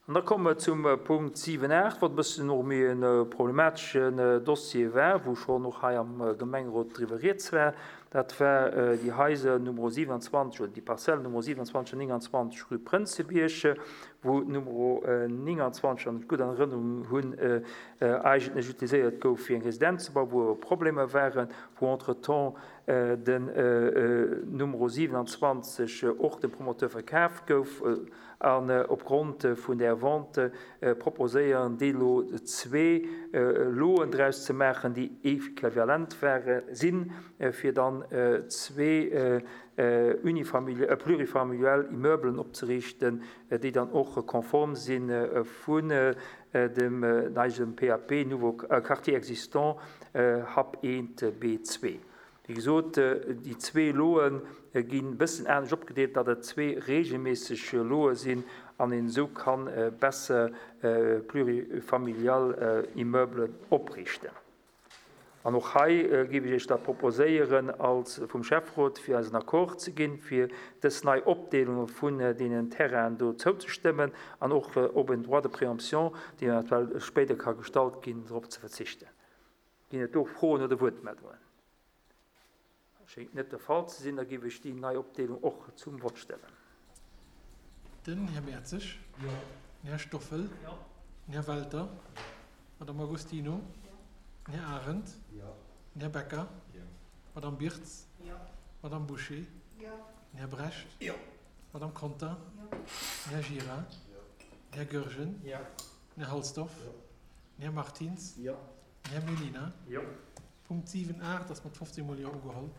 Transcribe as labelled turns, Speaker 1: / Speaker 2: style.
Speaker 1: An da komme mer zum Punkt 7, 8, wat e bëssen och méi e problemateschen Dossier war, wou schonn och hei am Gemengerot driwwer rieds war. Dat war déi Haiser Numero 27 oder déi Parzellen Numero 27 an 29 rue Prënzebierg, wou d'Numero 29, wann ech et gutt an Erënnerung hunn, eigentlech utiliséiert gouf fir eng Residenz ze bauen, wou awer Problemer waren, wou entretemps den Numero 27 och dem Promoteur verkaf gouf. An opgrond vun där Vente proposéieren déi elo zwee Loen draus ze maachen, déi equivalent ware sinn, fir dann zwee plurifamilial Immeublen opzeriichten, déi dann och konform si vun dem neien PAP Nouveau Quartier existant Hub 1 B2. Wéi gesot, déi zwee Loe ginn e bëssen anescht opgedeelt, datt et zwee reegelméisseg Loe sinn an een esou ka besser plurifamilial Immeublen opriichten. An och hei géif ech Iech da proposéieren als vum Schäfferot, fir eis en Accord ze ginn, fir dës nei Opdeelunge vun deenen Terrainen do zouzestëmmen an och op en Droit de préemption, deen eventuell spéider ka gestallt ginn, drop ze verzichten. Ginn et do Froen oder Wuertmeldungen? Schéngt net de Fall ze sinn. Da géif ech déi nei Opdeelung och zum Vott stellen.
Speaker 2: Den Här Mertzig. Jo. Den Här Stoffel. Jo. Den Här Welter. D'Madame Agostino. Den Här Arendt. Jo. Den Här Becker. Jo. D'Madame Birtz. Jo. D'Madame Bouché. Jo. Den Här Brecht. Jo. D'Madame Conter. Jo. Den Här Gira. Jo. Den Här Goergen. Jo. Den Här Halsdorf. Jo. Den Här Martins. Jo. Den Här Mellina. Jo. Punkt 7, 8 ass mat 15 mol Jo ugeholl.